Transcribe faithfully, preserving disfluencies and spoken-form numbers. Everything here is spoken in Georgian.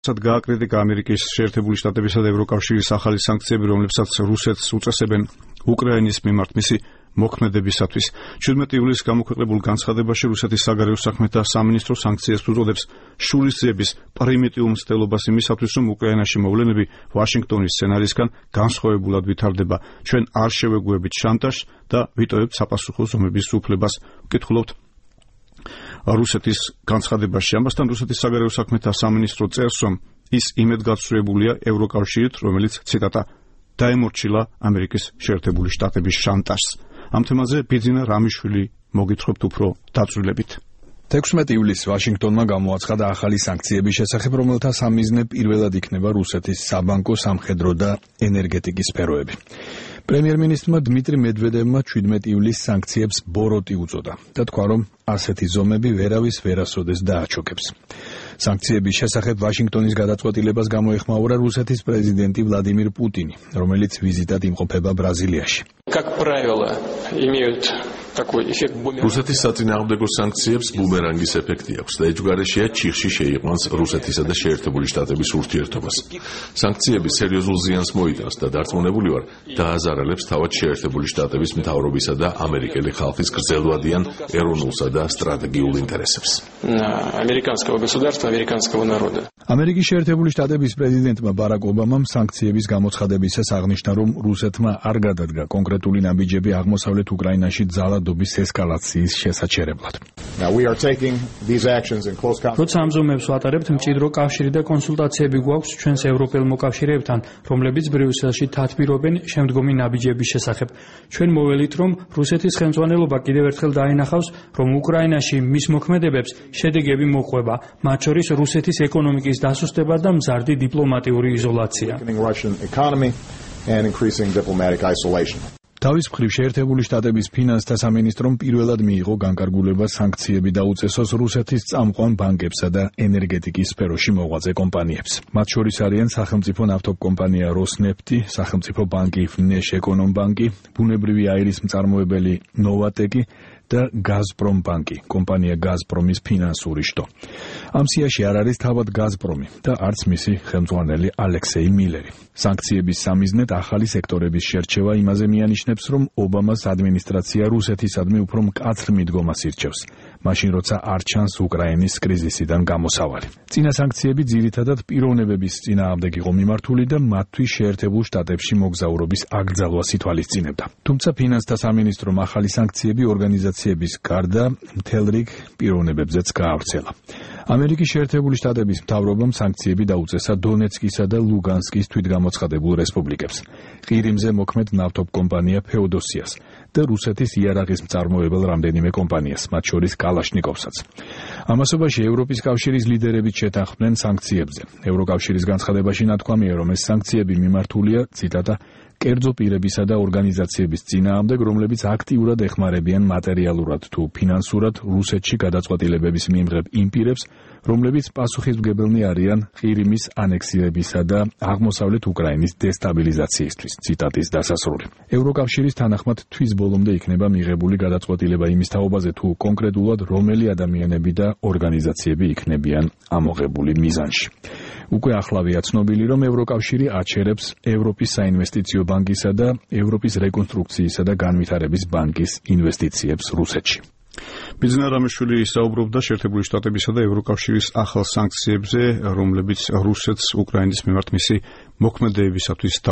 გააკრიტიკა ამერიკის შეერთებული შტატებისა და ევროკავშირის ახალი სანქციები, რომლებსაც რუსეთს უწესებენ უკრაინის მიმართ მისი მოქმედებისათვის. ჩვიდმეტი ივლისს გამოქვეყნებულ განცხადებაში რუსეთის საგარეო საქმეთა სამინისტრო სანქციებს უწოდებს შურისძიების პრიმიტიულ მცდელობას იმისათვის, რომ უკრაინაში მოვლენები ვაშინგტონის სცენარისგან განსხვავებულად ვითარდება. ჩვენ არ შევეგუებით შანტაჟს და ვიტოვებთ საპასუხო ზომების უფლებას. ვკითხულობთ რუსეთის განცხადებაში. ამასთან რუსეთის საგარეო საქმეთა სამინისტრო წერს, რომ ის იმედგაცრუებულია ევროკავშირით, რომელიც ციტატა დაემორჩილა ამერიკის შეერთებული შტატების შანტაჟს. ამ თემაზე ბიძინა რამიშვილი მოგითხრობთ უფრო დაწვრილებით. თექვსმეტი ივლისს ვაშინგტონმა გამოაცხადა ახალი სანქციების შესახებ, რომელთა სამიზნე პირველად იქნება რუსეთის საბანკო, სამხედრო და ენერგეტიკის სფეროები. პრემიერ-მინისტრმა დმიტრი მედვედევმა ჩვიდმეტი ივლისს სანქციებს ბოროტი უწოდა და თქვა, რომ ასეთი ზომები ვერავის ვერასოდეს დააჩოქებს. სანქციების შესახებ ვაშინგტონის გადაწყვეტილებას გამოეხმაურა რუსეთის პრეზიდენტი ვლადიმირ პუტინი, რომელიც ვიზიტად იმყოფება ბრაზილიაში. რუსეთის საწინააღმდეგო სანქციებს ბუმერანგის ეფექტი აქვს და ეჯგარეშეა ჩიხში შეიყვანს რუსეთისა და შეერთებული შტატების ურთიერთობას. სანქციები სერიოზულ ზიანს მოიტანს და დარწმუნებული ვარ, დააზარალებს თავად შეერთებული შტატების მთავრობისა და ამერიკელი ხალხის გრძელვადიან ეროვნულსა და სტრატეგიულ ინტერესებს. ამერიკის შეერთებული შტატების პრეზიდენტმა ბარაკ ობამამ სანქციების გამოცხადებისას აღნიშნა, რომ რუსეთმა არ გადადგა კონკრეტული ნაბიჯები აღმოსავლეთ უკრაინაში ძალადობის ესკალაციის შესაჩერებლად. როცა ამ ზომებს ვატარებთ, მჭიდრო კავშირი და კონსულტაციები გვაქვს ჩვენს ევროპელ მოკავშირეებთან, რომლებიც ბრიუსელში თათბირობენ შემდგომი ნაბიჯების შესახებ. ჩვენ მოველით, რომ რუსეთის ხელმძღვანელობა კიდევ ერთხელ დაინახავს, რომ უკრაინაში მის მოქმედებებს შედეგები მოყვება, მათ შორის რუსეთის ეკონომიკის დასუსტება და მზარდი დიპლომატიური იზოლაცია. თავის მხრივ შეერთებული შტატების ფინანსთა სამინისტრომ პირველად მიიღო განკარგულება სანქციები დაუწესოს რუსეთის წამყვან ბანკებსა და ენერგეტიკის სფეროში მოღვაწე კომპანიებს. მათ შორის არიან სახელმწიფო ნავთობკომპანია როსნეფტი, სახელმწიფო ბანკი ნეშეკონომბანკი, ბუნებრივი აირის მწარმოებელი ნოვატეკი და გაზპრომ ბანკი, კომპანია გაზპრომის ფინანსური შტო. ამ სიაში არ არის თავად გაზპრომი და არც მისი ხელმძღვანელი ალექსეი მილერი. სანქციების სამიზნედ ახალი სექტორების შერჩევა იმაზე მიანიშნებს, რომ ობამას ადმინისტრაცია რუსეთისადმი უფრო მკაცრ მიდგომას ირჩევს, მაშინ როცა არ ჩანს უკრაინის კრიზისიდან გამოსავალი. წინა სანქციები ძირითადად პიროვნებების წინააღმდეგ იყო მიმართული და მათთვის შეერთებულ შტატებში მოგზაურობის აკრძალვას ითვალისწინებდა. თუმცა ფინანსთა სამინისტრომ ახალი სანქციები ორგანიზაციების გარდა მთელ რიგ პიროვნებებზეც გაავრცელა. ამერიკის შეერთებული შტატების მთავრობამ სანქციები დაუწესა დონეცკისა და ლუგანსკის თვითგამოცხადებულ რესპუბლიკებს, ყირიმზე მოქმედ ნავთობკომპანია ფეოდოსიას და რუსეთის იარაღის მწარმოებელ რამდენიმე კომპანიას, მათ შორის კალაშნიკოვსაც. ამასობაში ევროპის კავშირის ლიდერებიც შეთანხმდნენ სანქციებზე. ევროკავშირის განცხადებაში ნათქვამია, რომ ეს სანქციები მიმართულია, ციტატა, კერძო პირებისა და ორგანიზაციების წინააღმდეგ, რომლებიც აქტიურად ეხმარებიან მატერიალურად თუ ფინანსურად რუსეთში გადაწყვეტილებების მიმღებ იმ პირებს, რომლებიც პასუხისმგებელნი არიან ყირიმის ანექსირებისა და აღმოსავლეთ უკრაინის დესტაბილიზაციისთვის. ციტატის დასასრული. ევროკავშირის თანახმად თვის ბოლომდე იქნება მიღებული გადაწყვეტილება იმის თაობაზე, თუ კონკრეტულად რომელი ადამიანები და ორგანიზაციები იქნებიან ამოღებული მიზანში. უკვე ახლავეა ცნობილი, რომ ევროკავშირი აჩერებს ევროპის საინვესტიციო ბანკისა და ევროპის რეკონსტრუქციისა და განვითარების ბანკის ინვესტიციებს რუსეთში. ბიძინა რამიშვილი საუბრობდა შეერთებული შტატებისა და ევროკავშირის ახალ სანქციებზე, რომლებიც რუსეთს უკრაინის მიმართ მისი მოქმედებისათვის